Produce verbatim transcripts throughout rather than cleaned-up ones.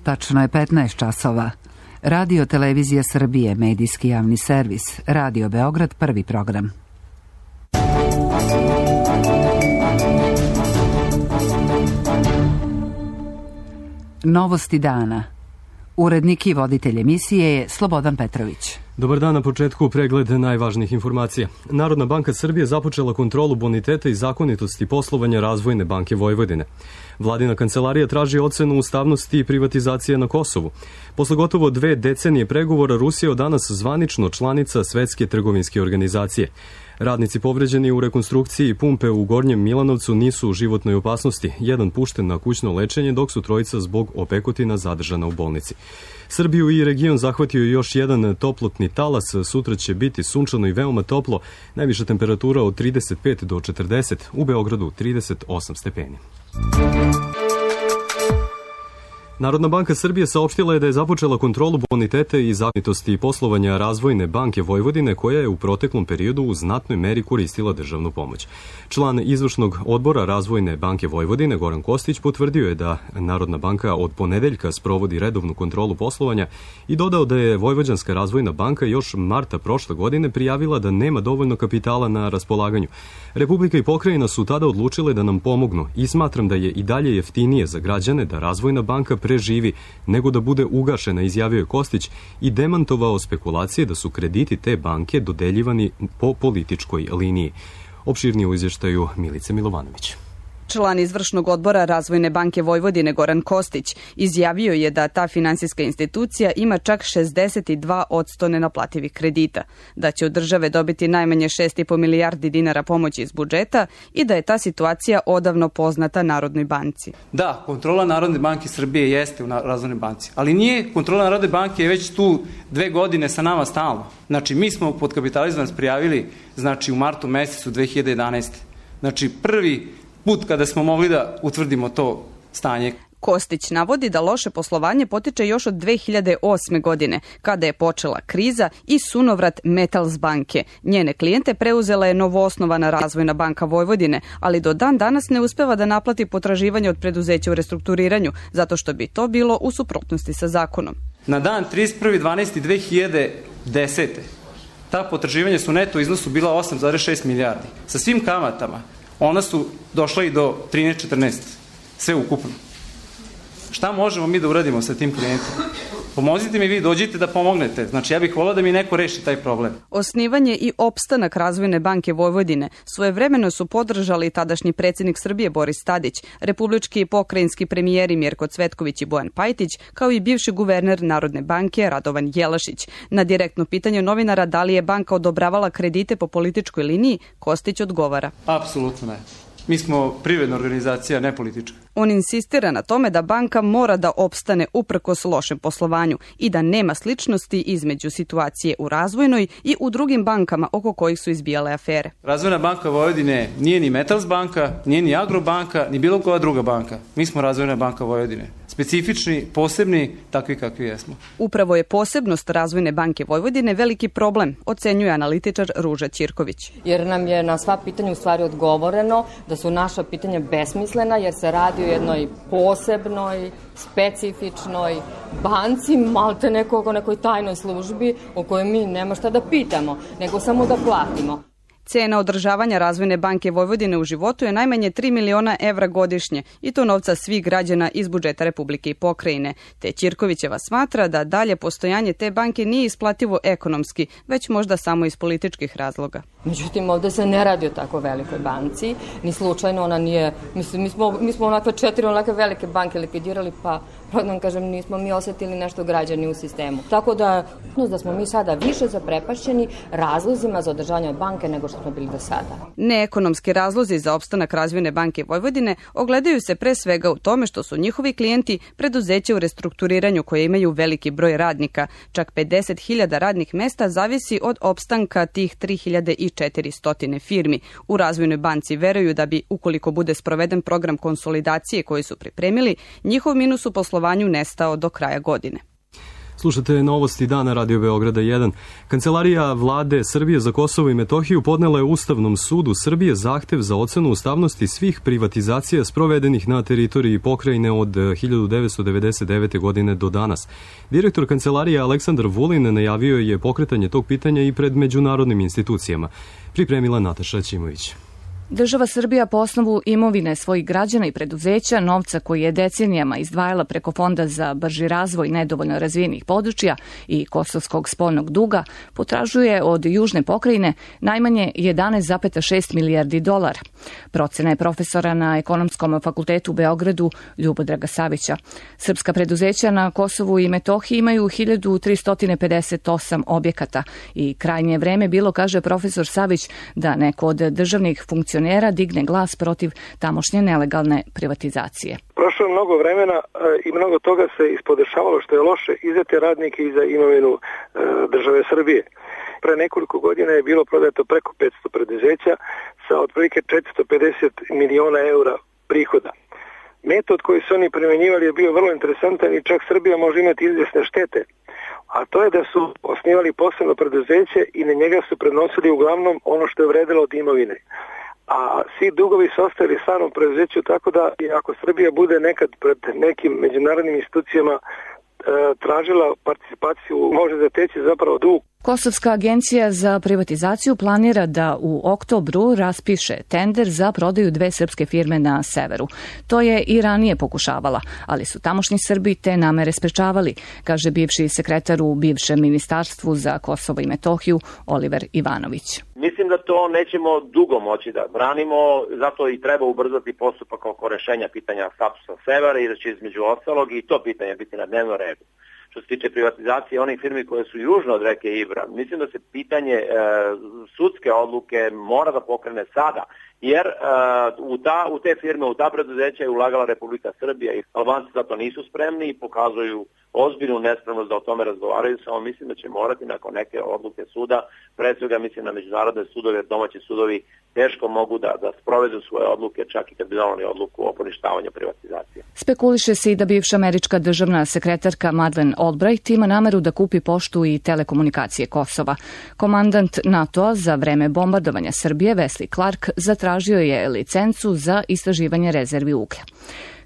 Tačno je petnaest časova. Radio Televizija Srbije, medijski javni servis. Radio Beograd, prvi program. Novosti dana. Urednik i voditelj emisije je Slobodan Petrović. Dobar dan, na početku pregled najvažnijih informacija. Narodna banka Srbije započela kontrolu boniteta i zakonitosti poslovanja Razvojne banke Vojvodine. Vladina kancelarija traži ocenu ustavnosti i privatizacije na Kosovu. Posle gotovo dve decenije pregovora, Rusija od danas zvanično članica Svetske trgovinske organizacije. Radnici povređeni u rekonstrukciji pumpe u Gornjem Milanovcu nisu u životnoj opasnosti. Jedan pušten na kućno lečenje, dok su trojica zbog opekutina zadržana u bolnici. Srbiju i region zahvatio još jedan toplotni talas. Sutra će biti sunčano i veoma toplo. Najviša temperatura od trideset pet do četrdeset, u Beogradu trideset osam stepeni. Narodna banka Srbije saopštila je da je započela kontrolu boniteta i zakonitosti poslovanja Razvojne banke Vojvodine, koja je u proteklom periodu u znatnoj meri koristila državnu pomoć. Član izvršnog odbora Razvojne banke Vojvodine, Goran Kostić, potvrdio je da Narodna banka od ponedeljka sprovodi redovnu kontrolu poslovanja i dodao da je Vojvođanska razvojna banka još marta prošle godine prijavila da nema dovoljno kapitala na raspolaganju. Republika i pokrajina su tada odlučile da nam pomognu i smatram da je i dalje jeftinije za građane da Razvojna banka preživi nego da bude ugašena, izjavio je Kostić i demantovao spekulacije da su krediti te banke dodeljivani po političkoj liniji. Opširnije u izvještaju Milice Milovanović. Član izvršnog odbora Razvojne banke Vojvodine Goran Kostić izjavio je da ta finansijska institucija ima čak šezdeset dva posto nenaplativih kredita, da će od države dobiti najmanje šest i po milijardi dinara pomoći iz budžeta i da je ta situacija odavno poznata Narodnoj banci. Da, kontrola Narodne banke Srbije jeste u Razvojnoj banci, ali nije kontrola Narodne banke je već tu dve godine sa nama stalno. Znači, mi smo podkapitalizovanost prijavili znači, u martu mesecu dve hiljade jedanaeste. Znači, prvi put kada smo mogli da utvrdimo to stanje. Kostić navodi da loše poslovanje potiče još od dve hiljade osme. godine, kada je počela kriza i sunovrat Metals banke. Njene klijente preuzela je novoosnovana Razvojna banka Vojvodine, ali do dan danas ne uspeva da naplati potraživanje od preduzeća u restrukturiranju, zato što bi to bilo u suprotnosti sa zakonom. Na dan trideset prvi decembar dve hiljade desete. ta potraživanja su neto iznosu bila osam zarez šest milijardi. Sa svim kamatama ona su došla i do trinaest četrnaest, sve ukupno. Šta možemo mi da uradimo sa tim klijentima? Pomozite mi vi, dođite da pomognete. Znači, ja bih volao da mi neko reši taj problem. Osnivanje i opstanak Razvojne banke Vojvodine svojevremeno su podržali tadašnji predsjednik Srbije Boris Tadić, republički i pokrajinski premijeri Mirko Cvetković i Bojan Pajtić, kao i bivši guverner Narodne banke Radovan Jelašić. Na direktno pitanje novinara da li je banka odobravala kredite po političkoj liniji, Kostić odgovara. Apsolutno ne. Mi smo privredna organizacija, ne politička. On insistira na tome da banka mora da opstane uprkos lošem poslovanju i da nema sličnosti između situacije u Razvojnoj i u drugim bankama oko kojih su izbijale afere. Razvojna banka Vojvodine nije ni Metals banka, nije ni Agrobanka, ni bilo koja druga banka. Mi smo Razvojna banka Vojvodine. Specifični, posebni, takvi kakvi jesmo. Upravo je posebnost Razvojne banke Vojvodine veliki problem, ocenjuje analitičar Ruža Ćirković. Jer nam je na sva pitanja u stvari odgovoreno da su naša pitanja besmislena jer se radi o jednoj posebnoj, specifičnoj banci, malte nekog o nekoj tajnoj službi o kojoj mi nema šta da pitamo, nego samo da platimo. Cena održavanja Razvojne banke Vojvodine u životu je najmanje tri miliona evra godišnje i to novca svih građana iz budžeta Republike i pokrajine. Te Ćirkovićeva smatra da dalje postojanje te banke nije isplativo ekonomski, već možda samo iz političkih razloga. Međutim, ovde se ne radi o tako velikoj banci, ni slučajno ona nije, mislim, mi smo, mi smo onakve četiri onakve velike banke likvidirali, pa rodno kažem, nismo mi osetili nešto građani u sistemu. Tako da, da smo mi sada više zaprepašćeni razlozima za održavanje od banke nego što smo bili do sada. Neekonomski razlozi za opstanak Razvojne banke Vojvodine ogledaju se pre svega u tome što su njihovi klijenti preduzeća u restrukturiranju koje imaju veliki broj radnika. Čak pedeset hiljada radnih mesta zavisi od opstanka tih tri hiljade četiristo firmi. U Razvojnoj banci veruju da bi, ukoliko bude sproveden program konsolidacije koji su pripremili, njihov minus u poslovanju nestao do kraja godine. Slušate novosti dana Radio Beograda jedan. Kancelarija vlade Srbije za Kosovo i Metohiju podnela je Ustavnom sudu Srbije zahtev za ocenu ustavnosti svih privatizacija sprovedenih na teritoriji pokrajine od hiljadu devetsto devedeset devete. godine do danas. Direktor kancelarije Aleksandar Vulin najavio je pokretanje tog pitanja i pred međunarodnim institucijama. Pripremila Nataša Ćimović. Država Srbija po osnovu imovine svojih građana i preduzeća, novca koji je decenijama izdvajala preko Fonda za brži razvoj nedovoljno razvijenih područja i kosovskog spoljnog duga, potražuje od južne pokrajine najmanje jedanaest zarez šest milijardi dolara. Procena je profesora na Ekonomskom fakultetu u Beogradu Ljubodraga Savića. Srpska preduzeća na Kosovu i Metohiji imaju hiljadu tristo pedeset osam objekata i krajnje vreme bilo, kaže profesor Savić, da neko od državnih funkcionera digne glas protiv tamošnje nelegalne privatizacije. Prošlo je mnogo vremena i mnogo toga se ispodešavalo što je loše i za te radnike i za imovinu države Srbije. Pre nekoliko godina je bilo prodato preko petsto preduzeća sa otprilike četiristo pedeset miliona eura prihoda. Metod koji su oni primenjivali je bio vrlo interesantan i čak Srbija može imati izvjesne štete. A to je da su osnivali posebno preduzeće i na njega su prenosili uglavnom ono što je vredelo od imovine. A svi dugovi su ostali starom preduzeću, tako da ako Srbija bude nekad pred nekim međunarodnim institucijama e, tražila participaciju, može zateći zapravo dug. Kosovska agencija za privatizaciju planira da u oktobru raspiše tender za prodaju dve srpske firme na severu. To je i ranije pokušavala, ali su tamošnji Srbi te namere sprečavali, kaže bivši sekretar u bivšem ministarstvu za Kosovo i Metohiju Oliver Ivanović. Mislim da to nećemo dugo moći da branimo, zato i treba ubrzati postupak oko rešenja pitanja statusa severa i da će između ostalog i to pitanje biti na dnevnom redu. Što se tiče privatizacije onih firmi koje su južno od reke Ibra, mislim da se pitanje e, sudske odluke mora da pokrene sada, jer e, u, ta, u te firme, u ta preduzeća je ulagala Republika Srbija i Albanci zato nisu spremni i pokazuju ozbiljnu nespremnost da o tome razgovaraju, samo mislim da će morati nakon neke odluke suda, pre svega mislim na međunarodne sudove, jer domaći sudovi teško mogu da, da sprovedu svoje odluke, čak i kad bi donali odluku o poništavanju privatizacije. Spekuliše se i da bivša američka državna sekretarka Madeleine Albright ima nameru da kupi poštu i telekomunikacije Kosova. Komandant NATO-a za vreme bombardovanja Srbije, Wesley Clark, zatražio je licencu za istraživanje rezervi uglja.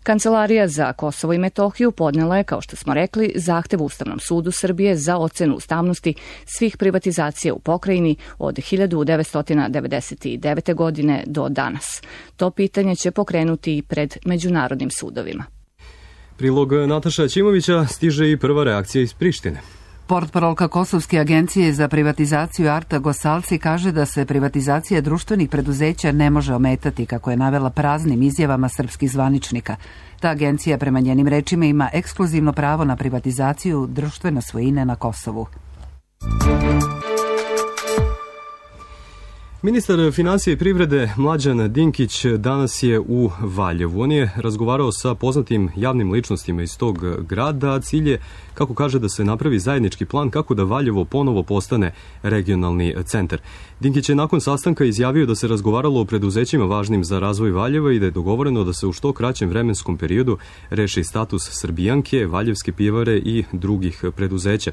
Kancelarija za Kosovo i Metohiju podnela je, kao što smo rekli, zahtev Ustavnom sudu Srbije za ocenu ustavnosti svih privatizacija u pokrajini od hiljadu devetsto devedeset devete. godine do danas. To pitanje će pokrenuti i pred međunarodnim sudovima. Prilog Nataša Ćimovića, stiže i prva reakcija iz Prištine. Portparolka Kosovske agencije za privatizaciju Arta Gosalci kaže da se privatizacija društvenih preduzeća ne može ometati, kako je navela praznim izjavama srpskih zvaničnika. Ta agencija, prema njenim rečima, ima ekskluzivno pravo na privatizaciju društvene svojine na Kosovu. Ministar financije i privrede Mlađan Dinkić danas je u Valjevu. On je razgovarao sa poznatim javnim ličnostima iz tog grada, a cilj je, kako kaže, da se napravi zajednički plan kako da Valjevo ponovo postane regionalni centar. Dinkić je nakon sastanka izjavio da se razgovaralo o preduzećima važnim za razvoj Valjeva i da je dogovoreno da se u što kraćem vremenskom periodu reši status Srbijanke, Valjevske pivare i drugih preduzeća.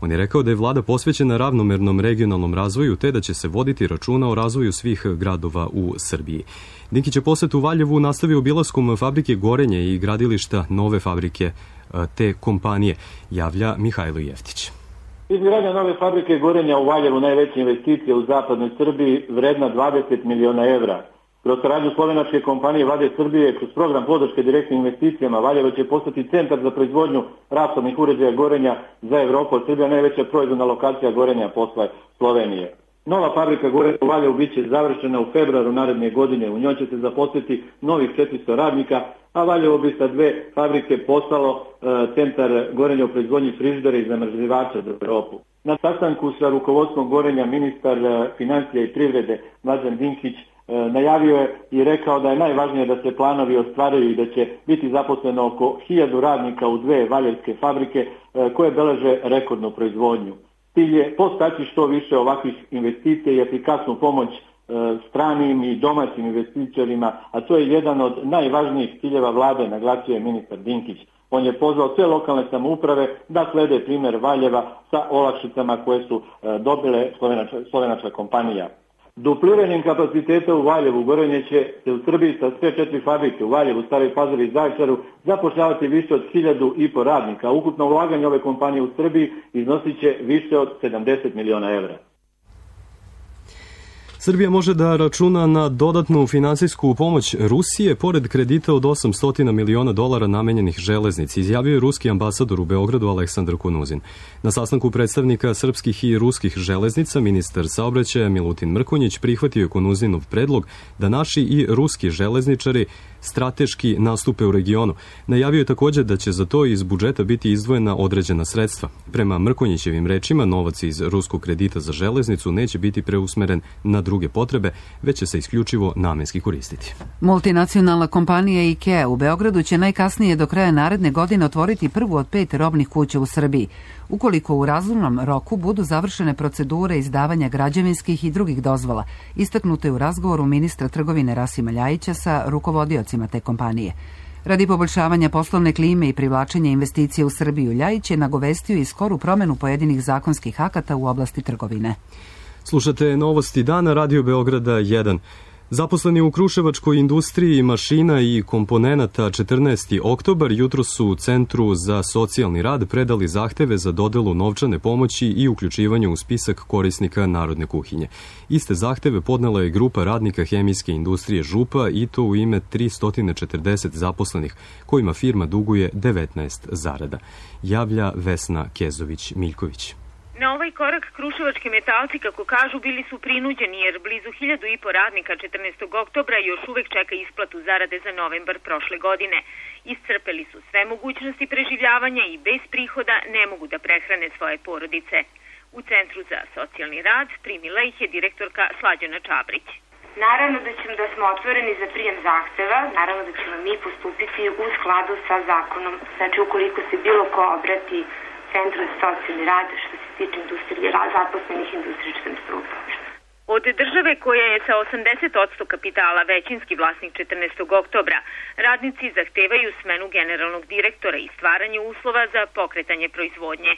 On je rekao da je vlada posvećena ravnomernom regionalnom razvoju te da će se voditi računa o razvoju svih gradova u Srbiji. Dinkić je posjet u Valjevu nastavio obilaskom fabrike Gorenje i gradilišta nove fabrike te kompanije, javlja Mihajlo Jeftić. Izgradnja nove fabrike Gorenja u Valjevu, najveća investicija u zapadnoj Srbiji, vredna dvadeset miliona evra. Kroz saradnju slovenačke kompanije Vlade Srbije, kroz program podrške direktnim investicijama, Valjevo će postati centar za proizvodnju rashladnih uređaja Gorenja za Evropu, a Srbija najveća proizvodna lokacija Gorenja posle Slovenije. Nova fabrika Gorenja u Valjevu biće završena u februaru naredne godine. U njoj će se zaposliti novih četiristo radnika, a Valjevo bi sa dve fabrike postalo e, centar Gorenja u proizvodnji frižidera i zamrzivača za Evropu. Na sastanku sa rukovodstvom Gorenja ministar e, financija i privrede Mlađan Dinkić e, najavio je i rekao da je najvažnije da se planovi ostvaruju i da će biti zaposleno oko hiljadu radnika u dve valjevske fabrike e, koje beleže rekordnu proizvodnju. Cilj je postaći što više ovakvih investicija i efikasnu pomoć stranim i domaćim investitorima, a to je jedan od najvažnijih ciljeva vlade, naglasio je ministar Dinkić. On je pozvao sve lokalne samouprave da slede primjer Valjeva sa olakšicama koje su dobile slovenačka, slovenačka kompanija. Dupliranjem kapaciteta u Valjevu Gorenje će se u Srbiji sa sve četiri fabrike u Valjevu, Staroj Pazovi i Zaječaru zapošljavati više od hiljadu i po radnika. Ukupno ulaganje ove kompanije u Srbiji iznosit će više od sedamdeset miliona evra. Srbija može da računa na dodatnu finansijsku pomoć Rusije pored kredita od osamsto miliona dolara namenjenih železnici, izjavio je ruski ambasador u Beogradu Aleksandar Kunuzin. Na sastanku predstavnika srpskih i ruskih železnica ministar saobraćaja Milutin Mrkonjić prihvatio je Kunuzinov predlog da naši i ruski železničari strateški nastupe u regionu. Najavio je također da će za to iz budžeta biti izdvojena određena sredstva. Prema Mrkonjićevim rečima, novac iz ruskog kredita za železnicu neće biti preusmeren na druge potrebe, već će se isključivo namenski koristiti. Multinacionalna kompanija IKEA u Beogradu će najkasnije do kraja naredne godine otvoriti prvu od pet robnih kuća u Srbiji, ukoliko u razumnom roku budu završene procedure izdavanja građevinskih i drugih dozvola, istaknuto je u razgovoru ministra trgovine Rasima Ljajića sa rukovodiocima te kompanije. Radi poboljšavanja poslovne klime i privlačenja investicija u Srbiju, Ljajić je nagovestio i skoru promenu pojedinih zakonskih akata u oblasti trgovine. Slušate Novosti dana, Radio Beograda jedan. Zaposleni u kruševačkoj industriji mašina i komponenata četrnaesti oktobar jutro su u Centru za socijalni rad predali zahteve za dodelu novčane pomoći i uključivanje u spisak korisnika narodne kuhinje. Iste zahteve podnela je grupa radnika hemijske industrije Župa i to u ime tristo četrdeset zaposlenih, kojima firma duguje devetnaest zarada. Javlja Vesna Kezović-Miljković. Na ovaj korak kruševački metalci, kako kažu, bili su prinuđeni jer blizu hiljadu i po radnika četrnaestog oktobra još uvek čeka isplatu zarade za novembar prošle godine. Iscrpeli su sve mogućnosti preživljavanja i bez prihoda ne mogu da prehrane svoje porodice. U Centru za socijalni rad primila ih je direktorka Slađana Čabrić. Naravno da ćemo da smo otvoreni za prijem zahteva, naravno da ćemo mi postupiti u skladu sa zakonom. Znači, ukoliko se bilo ko obrati Centru za socijalni rad što se tiče industrije, zaposlenih industrije četrnaestog oktobra. Od države koja je sa osamdeset posto kapitala većinski vlasnik četrnaestog oktobra, radnici zahtevaju smenu generalnog direktora i stvaranje uslova za pokretanje proizvodnje.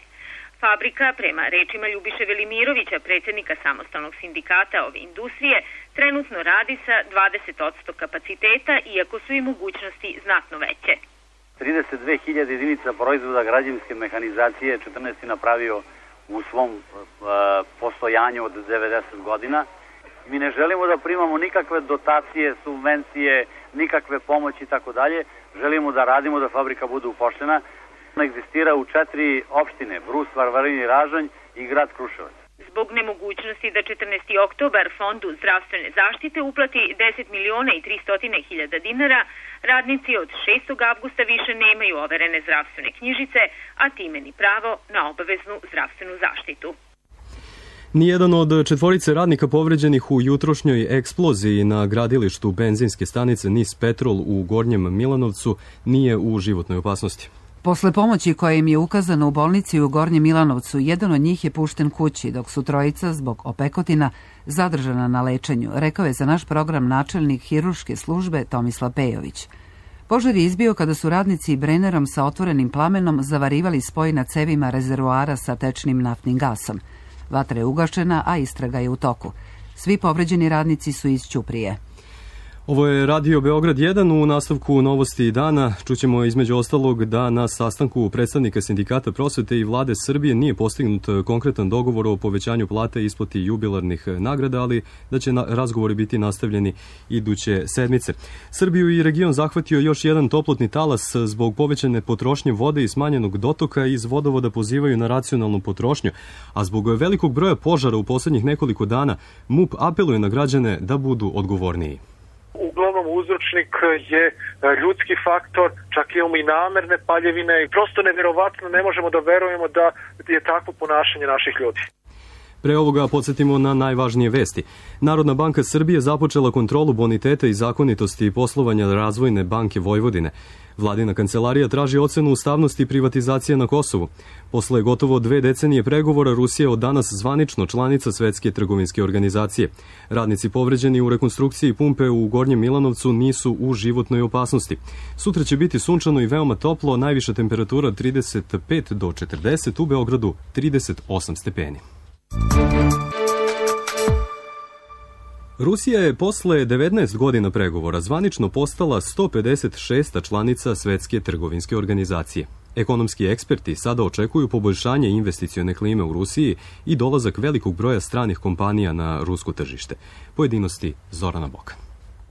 Fabrika, prema rečima Ljubiše Velimirovića, predsjednika samostalnog sindikata ove industrije, trenutno radi sa dvadeset posto kapaciteta, iako su i mogućnosti znatno veće. trideset dve hiljade jedinica proizvoda građevinske mehanizacije četrnaesti napravio u svom uh, postojanju od devedeset godina. Mi ne želimo da primamo nikakve dotacije, subvencije, nikakve pomoći i tako dalje. Želimo da radimo da fabrika bude upoštena. Ona egzistira u četiri opštine, Brus, Varvarin i Ražanj i grad Kruševac. Zbog nemogućnosti da četrnaesti oktobar Fondu zdravstvene zaštite uplati deset miliona i tristo hiljada dinara, radnici od šestog avgusta više nemaju overene zdravstvene knjižice, a time ni pravo na obaveznu zdravstvenu zaštitu. Nijedan od četvorice radnika povređenih u jutrošnjoj eksploziji na gradilištu benzinske stanice Nis Petrol u Gornjem Milanovcu nije u životnoj opasnosti. Posle pomoći koja im je ukazana u bolnici u Gornjem Milanovcu, jedan od njih je pušten kući, dok su trojica zbog opekotina zadržana na lečenju, rekao je za naš program načelnik hirurške službe Tomislav Pejović. Požar je izbio kada su radnici brenerom sa otvorenim plamenom zavarivali spoj na cevima rezervoara sa tečnim naftnim gasom. Vatra je ugašena, a istraga je u toku. Svi povređeni radnici su iz Ćuprije. Ovo je Radio Beograd jedan. U nastavku Novosti dana čućemo između ostalog da na sastanku predstavnika sindikata prosvete i vlade Srbije nije postignut konkretan dogovor o povećanju plata i isplati jubilarnih nagrada, ali da će na razgovori biti nastavljeni iduće sedmice. Srbiju i region zahvatio još jedan toplotni talas zbog povećane potrošnje vode i smanjenog dotoka. Iz vodovoda pozivaju na racionalnu potrošnju, a zbog velikog broja požara u poslednjih nekoliko dana MUP apeluje na građane da budu odgovorniji. Uglavnom uzročnik je ljudski faktor, čak imamo i namerne paljevine i prosto nevjerovatno ne možemo da verujemo da je takvo ponašanje naših ljudi. Pre ovoga podsjetimo na najvažnije vesti. Narodna banka Srbije započela kontrolu boniteta i zakonitosti poslovanja Razvojne banke Vojvodine. Vladina kancelarija traži ocenu ustavnosti privatizacije na Kosovu. Posle gotovo dve decenije pregovora, Rusija od danas zvanično članica Svetske trgovinske organizacije. Radnici povređeni u rekonstrukciji pumpe u Gornjem Milanovcu nisu u životnoj opasnosti. Sutra će biti sunčano i veoma toplo, najviša temperatura trideset pet do četrdeset, u Beogradu trideset osam stepeni. Rusija je posle devetnaest godina pregovora zvanično postala sto pedeset šesta članica Svetske trgovinske organizacije. Ekonomski eksperti sada očekuju poboljšanje investicione klime u Rusiji i dolazak velikog broja stranih kompanija na rusko tržište. Pojedinosti Zorana Bokan.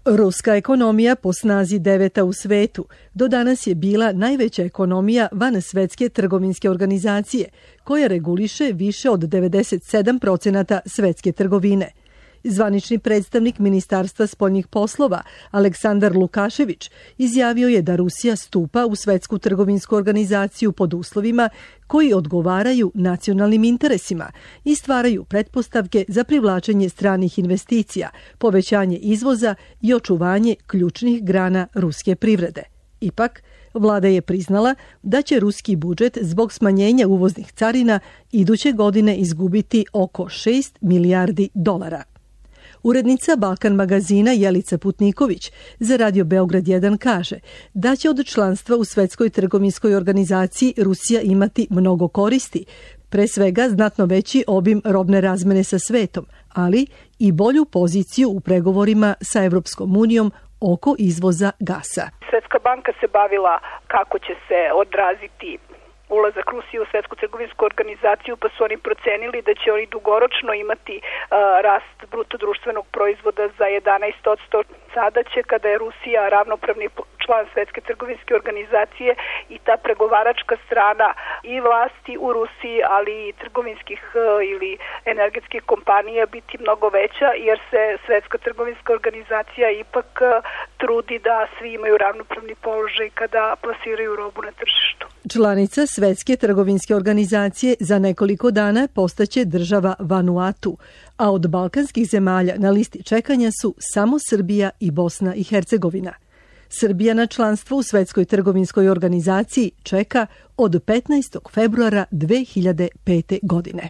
Ruska ekonomija po snazi deveta u svetu do danas je bila najveća ekonomija van Svetske trgovinske organizacije, koja reguliše više od devedeset sedam procenata svetske trgovine. Zvanični predstavnik Ministarstva spoljnih poslova Aleksandar Lukašević izjavio je da Rusija stupa u Svetsku trgovinsku organizaciju pod uslovima koji odgovaraju nacionalnim interesima i stvaraju pretpostavke za privlačenje stranih investicija, povećanje izvoza i očuvanje ključnih grana ruske privrede. Ipak, vlada je priznala da će ruski budžet zbog smanjenja uvoznih carina iduće godine izgubiti oko šest milijardi dolara. Urednica Balkan magazina Jelica Putniković za Radio Beograd jedan kaže da će od članstva u Svetskoj trgovinskoj organizaciji Rusija imati mnogo koristi, pre svega znatno veći obim robne razmene sa svetom, ali i bolju poziciju u pregovorima sa Evropskom unijom oko izvoza gasa. Svetska banka se bavila kako će se odraziti ulazak Rusije u Svetsku trgovinsku organizaciju, pa su oni procenili da će oni dugoročno imati uh, rast bruto društvenog proizvoda za jedanaest posto. Sada će, kada je Rusija ravnopravni član Svetske trgovinske organizacije, i ta pregovaračka strana i vlasti u Rusiji, ali i trgovinskih uh, ili energetskih kompanija biti mnogo veća, jer se Svetska trgovinska organizacija ipak uh, trudi da svi imaju ravnopravni položaj kada plasiraju robu na tržištu. Članica Svetske trgovinske organizacije za nekoliko dana postaće država Vanuatu, a od balkanskih zemalja na listi čekanja su samo Srbija i Bosna i Hercegovina. Srbija na članstvo u Svetskoj trgovinskoj organizaciji čeka od petnaestog februara dve hiljade pete. godine.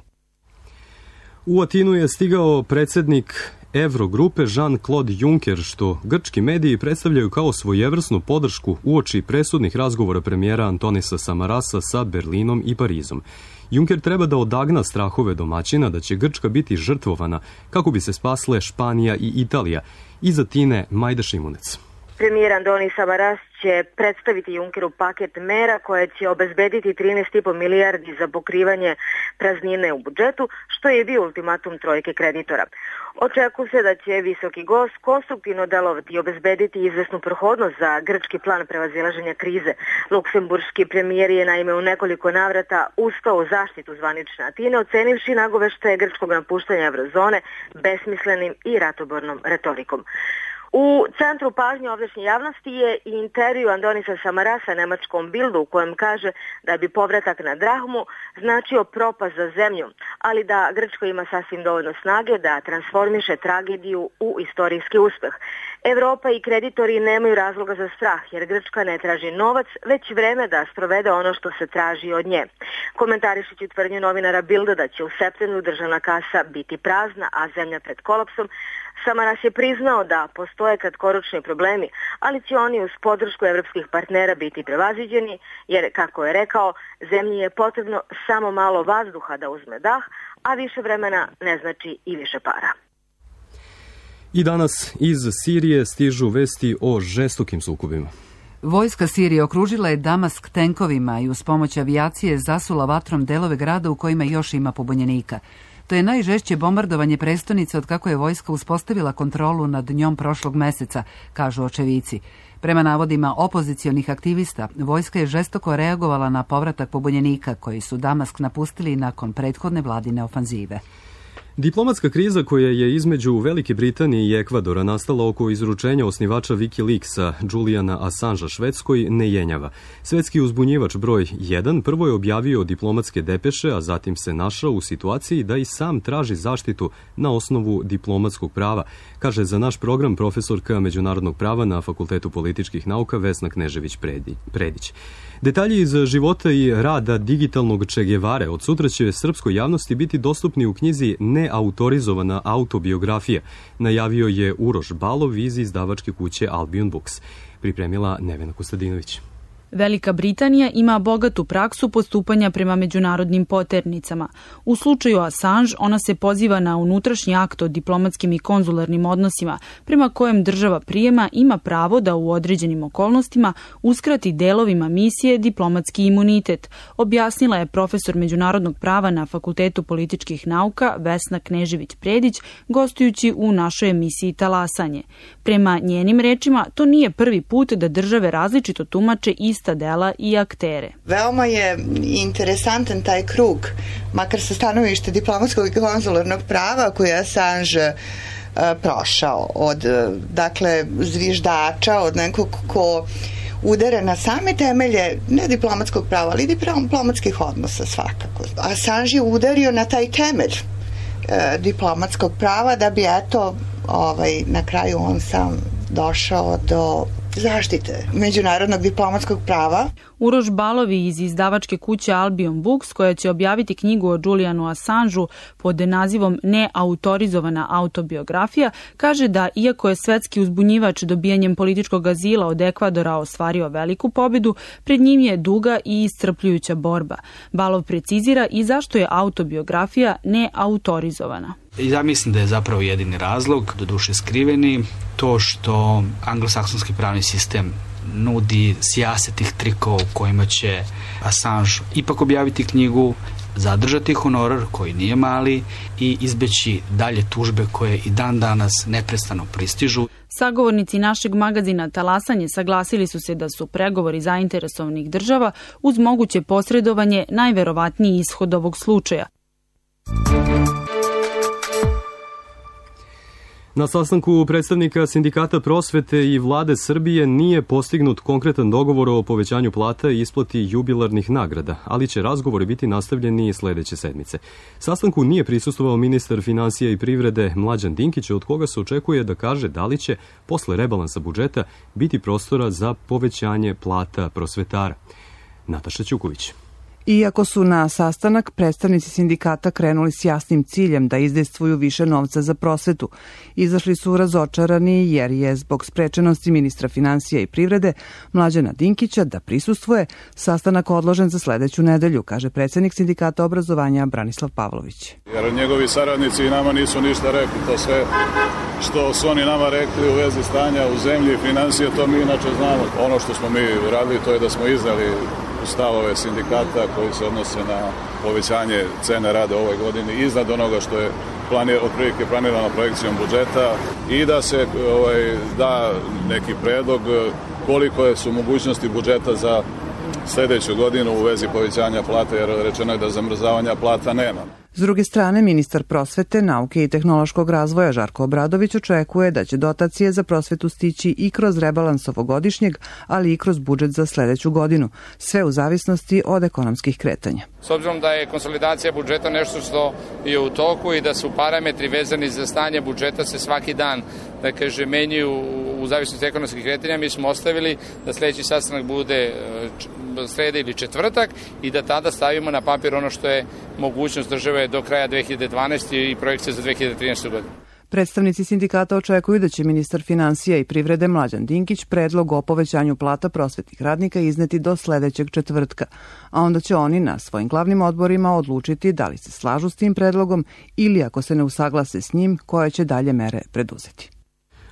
U Atinu je stigao predsednik Evrogrupe Jean-Claude Juncker, što grčki mediji predstavljaju kao svojevrsnu podršku uoči presudnih razgovora premijera Antonisa Samarasa sa Berlinom i Parizom. Juncker treba da odagna strahove domaćina da će Grčka biti žrtvovana kako bi se spasle Španija i Italija. Iz Atine Majda Šimunec. Premijer Antonis Samaras će predstaviti Junckeru paket mera koje će obezbediti trinaest i po milijardi za pokrivanje praznine u budžetu, što je bio ultimatum trojke kreditora. Očekuje se da će visoki gost konstruktivno delovati i obezbediti izvesnu prohodnost za grčki plan prevazilaženja krize. Luksemburški premijer je naime u nekoliko navrata ustao u zaštitu zvanične Atine, ocenivši nagoveštaje grčkog napuštanja evrozone besmislenim i ratobornom retorikom. U centru pažnje ovdašnje javnosti je i intervju Antonisa Samarasa nemačkom Bildu, u kojem kaže da bi povratak na drahmu značio propast za zemlju, ali da Grčka ima sasvim dovoljno snage da transformiše tragediju u istorijski uspeh. Evropa i kreditori nemaju razloga za strah, jer Grčka ne traži novac, već vreme da sprovede ono što se traži od nje. Komentarišući tvrdnju novinara Bilda da će u septembru državna kasa biti prazna, a zemlja pred kolapsom, Samaras je priznao da postoje kratkoročni problemi, ali će oni uz podršku evropskih partnera biti prevaziđeni, jer, kako je rekao, zemlji je potrebno samo malo vazduha da uzme dah, a više vremena ne znači i više para. I danas iz Sirije stižu vesti o žestokim sukobima. Vojska Sirije okružila je Damask tenkovima i uz pomoć avijacije zasula vatrom delove grada u kojima još ima pobunjenika. To je najžešće bombardovanje prestonice od kako je vojska uspostavila kontrolu nad njom prošlog meseca, kažu očevici. Prema navodima opozicionih aktivista, vojska je žestoko reagovala na povratak pobunjenika koji su Damask napustili nakon prethodne vladine ofanzive. Diplomatska kriza koja je između Velike Britanije i Ekvadora nastala oko izručenja osnivača Wikileaksa Juliana Assangea Švedskoj ne jenjava. Svetski uzbunjivač broj jedan prvo je objavio diplomatske depeše, a zatim se našao u situaciji da i sam traži zaštitu na osnovu diplomatskog prava, kaže za naš program profesorka međunarodnog prava na Fakultetu političkih nauka Vesna Knežević-Predić. Detalji iz života i rada digitalnog Che Guevare od sutra će srpskoj javnosti biti dostupni u knjizi Neautorizovana autobiografija, najavio je Uroš Balov iz izdavačke kuće Albion Books. Pripremila Nevena Kostadinović. Velika Britanija ima bogatu praksu postupanja prema međunarodnim poternicama. U slučaju Assange ona se poziva na unutrašnji akt o diplomatskim i konzularnim odnosima, prema kojem država prijema ima pravo da u određenim okolnostima uskrati delovima misije diplomatski imunitet, objasnila je profesor međunarodnog prava na Fakultetu političkih nauka Vesna Knežević-Predić, gostujući u našoj emisiji Talasanje. Prema njenim rečima, to nije prvi put da države različito tumače ista dela i aktere. Veoma je interesantan taj krug, makar sa stanovišta diplomatskog i konzularnog prava koji je Assange uh, prošao od, dakle, zviždača, od nekog ko udare na same temelje ne diplomatskog prava, ali i diplomatskih odnosa svakako. Assange je udario na taj temelj uh, diplomatskog prava da bi eto ovaj, na kraju on sam došao do zaštite međunarodnog diplomatskog prava. Uroš Balovi iz izdavačke kuće Albion Books, koja će objaviti knjigu o Julianu Assangeu pod nazivom Neautorizovana autobiografija, kaže da iako je svetski uzbunjivač dobijanjem političkog azila od Ekvadora ostvario veliku pobedu, pred njim je duga i iscrpljujuća borba. Balov precizira i zašto je autobiografija neautorizovana. Ja mislim da je zapravo jedini razlog, doduše skriveni, to što anglosaksonski pravni sistem nudi sijaset tih trikova u kojima će Assange ipak objaviti knjigu, zadržati honorar koji nije mali i izbeći dalje tužbe koje i dan danas neprestano pristižu. Sagovornici našeg magazina Talasanje saglasili su se da su pregovori zainteresovanih država uz moguće posredovanje najverovatniji ishod ovog slučaja. Na sastanku predstavnika Sindikata prosvete i vlade Srbije nije postignut konkretan dogovor o povećanju plata i isplati jubilarnih nagrada, ali će razgovori biti nastavljeni sledeće sedmice. Sastanku nije prisustvovao ministar finansija i privrede Mlađan Dinkić, od koga se očekuje da kaže da li će posle rebalansa budžeta biti prostora za povećanje plata prosvetara. Nataša Ćuković. Iako su na sastanak predstavnici sindikata krenuli s jasnim ciljem da izdejstvuju više novca za prosvetu, izašli su razočarani jer je zbog sprečenosti ministra finansija i privrede Mlađana Dinkića da prisustvuje sastanak odložen za sledeću nedelju, kaže predsednik sindikata obrazovanja Branislav Pavlović. Jer njegovi saradnici i nama nisu ništa rekli, to sve što su oni nama rekli u vezi stanja u zemlji i finansije, to mi inače znamo. Ono što smo mi uradili to je da smo izdali stavove sindikata koji se odnose na povećanje cene rada ove godine iznad onoga što je planir, otprilike planirano projekcijom budžeta i da se ovaj, da neki predlog koliko su mogućnosti budžeta za sledeću godinu u vezi povećanja plata, jer rečeno je da zamrzavanja plata nema. S druge strane, ministar prosvete, nauke i tehnološkog razvoja Žarko Obradović očekuje da će dotacije za prosvetu stići i kroz rebalans ovogodišnjeg, ali i kroz budžet za sledeću godinu, sve u zavisnosti od ekonomskih kretanja. S obzirom da je konsolidacija budžeta nešto što je u toku i da su parametri vezani za stanje budžeta se svaki dan, da kaže, menjaju u zavisnosti ekonomskih kretanja, mi smo ostavili da sledeći sastanak bude sreda ili četvrtak i da tada stavimo na papir ono što je mogućnost države do kraja dve hiljade dvanaeste. i projekcija za dve hiljade trinaeste. godinu. Predstavnici sindikata očekuju da će ministar finansija i privrede Mlađan Dinkić predlog o povećanju plata prosvetnih radnika izneti do sledećeg četvrtka, a onda će oni na svojim glavnim odborima odlučiti da li se slažu s tim predlogom ili ako se ne usaglase s njim, koje će dalje mere preduzeti.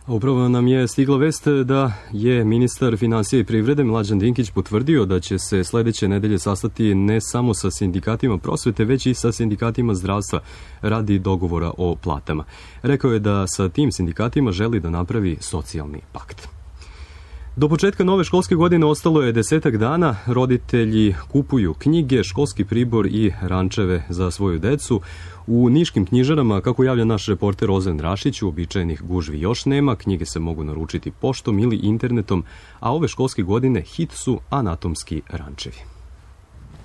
Upravo nam je stigla vest da je ministar finansija i privrede Mlađan Dinkić potvrdio da će se sledeće nedelje sastati ne samo sa sindikatima prosvete, već i sa sindikatima zdravstva radi dogovora o platama. Rekao je da sa tim sindikatima želi da napravi socijalni pakt. Do početka nove školske godine ostalo je desetak dana. Roditelji kupuju knjige, školski pribor i rančeve za svoju decu. U niškim knjižarama, kako javlja naš reporter Ozren Rašić, uobičajenih gužvi još nema, knjige se mogu naručiti poštom ili internetom, a ove školske godine hit su anatomski rančevi.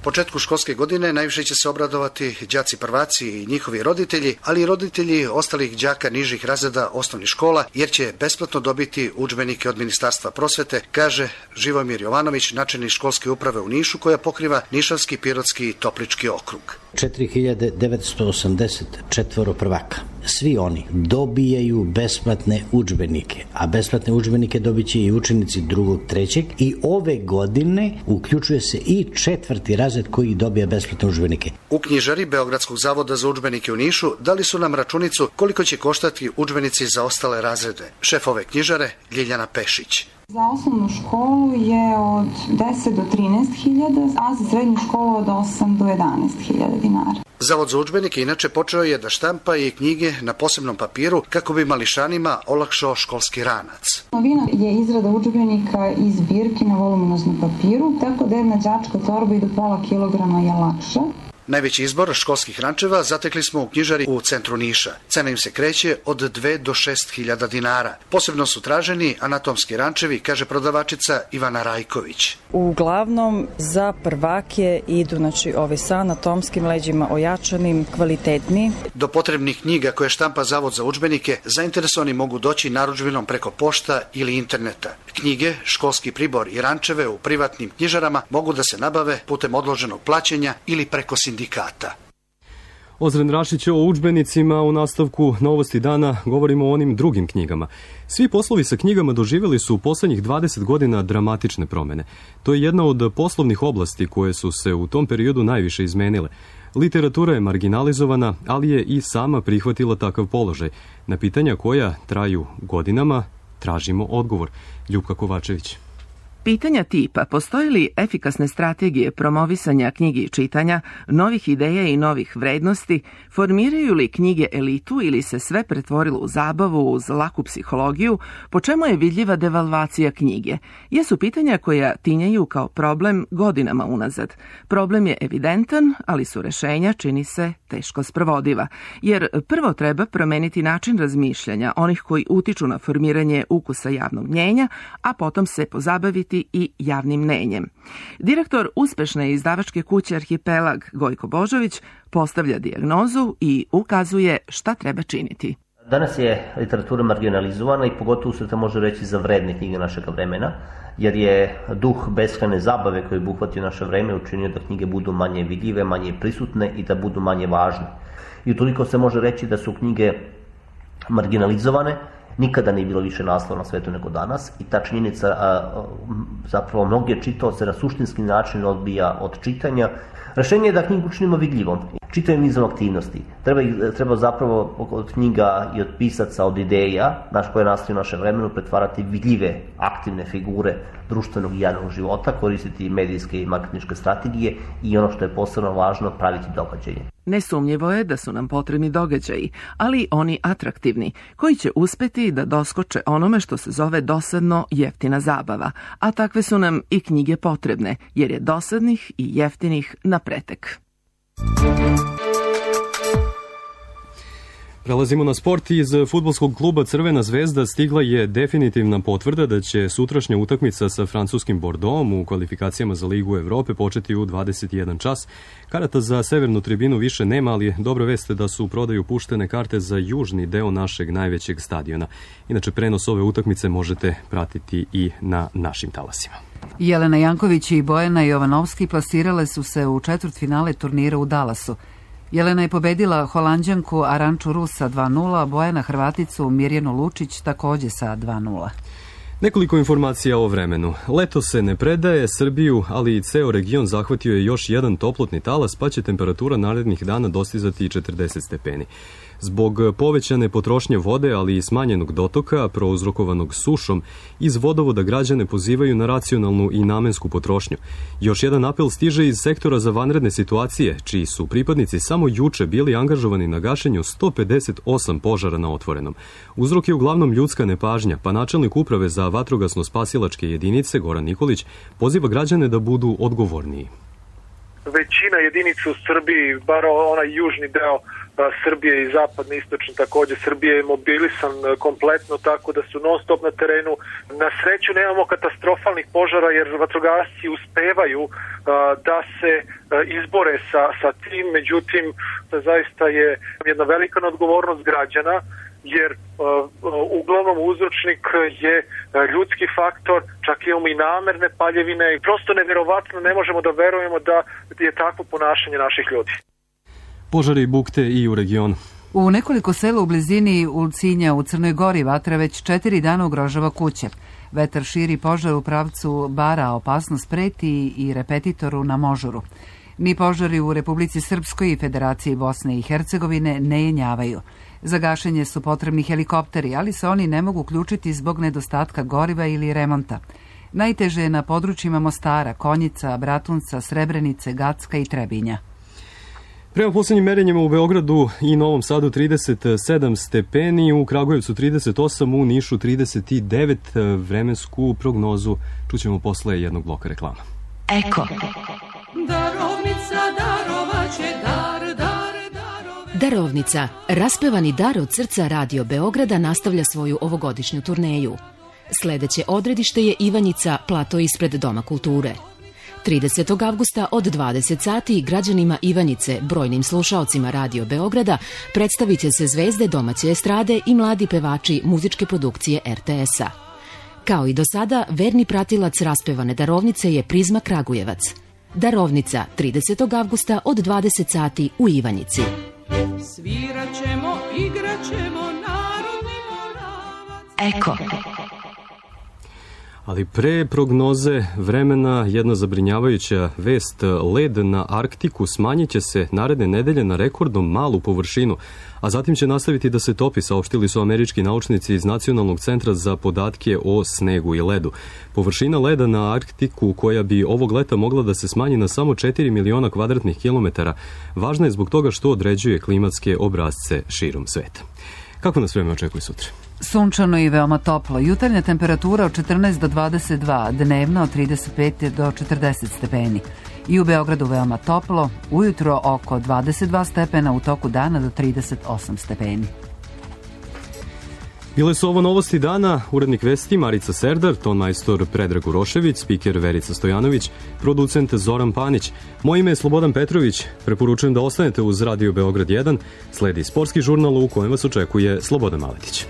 Početku školske godine najviše će se obradovati đaci prvaci i njihovi roditelji, ali i roditelji ostalih đaka nižih razreda osnovnih škola, jer će besplatno dobiti udžbenike od Ministarstva prosvete, kaže Živomir Jovanović, načelnik školske uprave u Nišu, koja pokriva Nišavski, Pirotski i Toplički okrug. četiri hiljade devetsto osamdeset četvoro prvaka. Svi oni dobijaju besplatne udžbenike, a besplatne udžbenike dobit će i učenici drugog, trećeg i ove godine uključuje se i četvrti razred koji dobija besplatne udžbenike. U knjižari Beogradskog zavoda za udžbenike u Nišu dali su nam računicu koliko će koštati udžbenici za ostale razrede. Šef ove knjižare Ljiljana Pešić. Za osnovnu školu je od deset do trinaest hiljada, a za srednju školu od osam do jedanaest hiljada dinara. Zavod za udžbenike inače počeo je da štampa i knjige na posebnom papiru kako bi mališanima olakšao školski ranac. Novina je izrada udžbenika iz zbirki na voluminoznom papiru, tako da jedna đačka torba i do pola kilograma je lakša. Najveći izbor školskih rančeva zatekli smo u knjižari u centru Niša. Cena im se kreće od dve do šest hiljada dinara. Posebno su traženi anatomski rančevi, kaže prodavačica Ivana Rajković. Uglavnom za prvake idu znači, ovi sa anatomskim leđima ojačanim, kvalitetni. Do potrebnih knjiga koje štampa Zavod za udžbenike zainteresovani mogu doći narudžbinom preko pošta ili interneta. Knjige, školski pribor i rančeve u privatnim knjižarama mogu da se nabave putem odloženog plaćanja ili preko sindikata. Ozren Rašić o udžbenicima. U nastavku Novosti dana govorimo o onim drugim knjigama. Svi poslovi sa knjigama doživjeli su u poslednjih dvadeset godina dramatične promene. To je jedna od poslovnih oblasti koje su se u tom periodu najviše izmenile. Literatura je marginalizovana, ali je i sama prihvatila takav položaj. Na pitanja koja traju godinama tražimo odgovor. Ljupka Kovačević. Pitanja tipa postoje li efikasne strategije promovisanja knjige i čitanja, novih ideja i novih vrednosti, formiraju li knjige elitu ili se sve pretvorilo u zabavu uz laku psihologiju, po čemu je vidljiva devalvacija knjige, jesu pitanja koja tinjaju kao problem godinama unazad. Problem je evidentan, ali su rešenja, čini se, teško sprovodiva, jer prvo treba promeniti način razmišljanja onih koji utiču na formiranje ukusa javnog mnjenja, a potom se pozabaviti i javnim mnenjem. Direktor uspešne izdavačke kuće Arhipelag Gojko Božović postavlja dijagnozu i ukazuje šta treba činiti. Danas je literatura marginalizovana i pogotovo se to može reći za vredne knjige našeg vremena, jer je duh beskrajne zabave koji je obuhvatio naše vreme učinio da knjige budu manje vidljive, manje prisutne i da budu manje važne. I utoliko se može reći da su knjige marginalizovane. Nikada nije bilo više naslova na svetu nego danas i ta činjenica a, zapravo mnoge čitaoce na suštinski način odbija od čitanja. Rešenje je da knjigu učinimo vidljivom, čitavim nizom aktivnosti. Treba, treba zapravo od knjiga i od pisaca, od ideja, naš koje nastaju u našem vremenu, pretvarati vidljive, aktivne figure društvenog i javnog života, koristiti medijske i marketinške strategije i ono što je posebno važno, praviti događaje. Nesumnjivo je da su nam potrebni događaji, ali oni atraktivni, koji će uspeti da doskoče onome što se zove dosadno jeftina zabava, a takve su nam i knjige potrebne, jer je dosadnih i jeftinih na pretek. Prelazimo na sport. Iz fudbalskog kluba Crvena zvezda stigla je definitivna potvrda da će sutrašnja utakmica sa francuskim Bordeauxom u kvalifikacijama za Ligu Evrope početi u dvadeset jedan čas. Karata za severnu tribinu više nema, ali je dobra vest da su u prodaju puštene karte za južni deo našeg najvećeg stadiona. Inače, prenos ove utakmice možete pratiti i na našim talasima. Jelena Janković i Bojana Jovanovski plasirale su se u četvrtfinale turnira u Dallasu. Jelena je pobedila Holanđanku Aranču Rus sa dva nula, a Bojana Hrvaticu Mirjanu Lučić takođe sa dva nula. Nekoliko informacija o vremenu. Leto se ne predaje, Srbiju, ali i ceo region zahvatio je još jedan toplotni talas, pa će temperatura narednih dana dostizati četrdeset stepeni. Zbog povećane potrošnje vode, ali i smanjenog dotoka, prouzrokovanog sušom, iz vodovoda građane pozivaju na racionalnu i namensku potrošnju. Još jedan apel stiže iz sektora za vanredne situacije, čiji su pripadnici samo juče bili angažovani na gašenju sto pedeset osam požara na otvorenom. Uzrok je uglavnom ljudska nepažnja, pa načelnik uprave za vatrogasno-spasilačke jedinice Goran Nikolić poziva građane da budu odgovorniji. Većina jedinica u Srbiji, bar onaj južni deo Srbije i zapadni istočni takođe Srbije je mobilisan kompletno, tako da su non stop na terenu. Na sreću nemamo katastrofalnih požara jer vatrogasci uspevaju da se izbore sa, sa tim, međutim zaista je jedna velika odgovornost građana jer uh, uglavnom uzročnik je ljudski faktor, čak imamo i namerne paljevine i prosto nevjerovatno ne možemo da verujemo da je takvo ponašanje naših ljudi. Požari bukte i u regionu. U nekoliko sela u blizini Ulcinja u Crnoj Gori vatra već četiri dana ugrožava kuće. Vetar širi požar u pravcu Bara, opasnost preti i repetitoru na Možuru. Ni požari u Republici Srpskoj i Federaciji Bosne i Hercegovine ne jenjavaju. Za gašenje su potrebni helikopteri, ali se oni ne mogu uključiti zbog nedostatka goriva ili remonta. Najteže je na područjima Mostara, Konjica, Bratunca, Srebrenice, Gacka i Trebinja. Prema poslednjim merenjima u Beogradu i Novom Sadu trideset sedam stepeni, u Kragujevcu trideset osam, u Nišu trideset devet. Vremensku prognozu čućemo posle jednog bloka reklama. Eko. Darovnica darovaće dar, dar, darove. Darovnica, raspevani dar od srca Radio Beograda nastavlja svoju ovogodišnju turneju. Sledeće odredište je Ivanjica, plato ispred Doma kulture. tridesetog avgusta od dvadeset sati građanima Ivanjice, brojnim slušaocima Radio Beograda, predstavit će se zvezde domaće estrade i mladi pevači muzičke produkcije er te es-a. Kao i do sada, verni pratilac raspevane darovnice je Prizma Kragujevac. Darovnica, tridesetog avgusta od dvadeset sati u Ivanjici. Svirat ćemo, igrat ćemo, narodni moravac. Eko. Ali pre prognoze vremena jedna zabrinjavajuća vest. Led na Arktiku smanjit će se naredne nedelje na rekordno malu površinu, a zatim će nastaviti da se topi, saopštili su američki naučnici iz Nacionalnog centra za podatke o snegu i ledu. Površina leda na Arktiku, koja bi ovog leta mogla da se smanji na samo četiri miliona kvadratnih kilometara, važna je zbog toga što određuje klimatske obrazce širom sveta. Kako nas vreme očekuje sutra? Sunčano i veoma toplo. Jutarnja temperatura od četrnaest do dvadeset dva, dnevna od trideset pet do četrdeset stepeni. I u Beogradu veoma toplo, ujutro oko dvadeset dva stepena, u toku dana do trideset osam stepeni. Bile su ovo novosti dana, urednik vesti Marica Serdar, ton majstor Predrag Urošević, spiker Verica Stojanović, producent Zoran Panić. Moje ime je Slobodan Petrović, preporučujem da ostanete uz Radio Beograd jedan, sledi sportski žurnal u kojem vas očekuje Slobodan Maletić.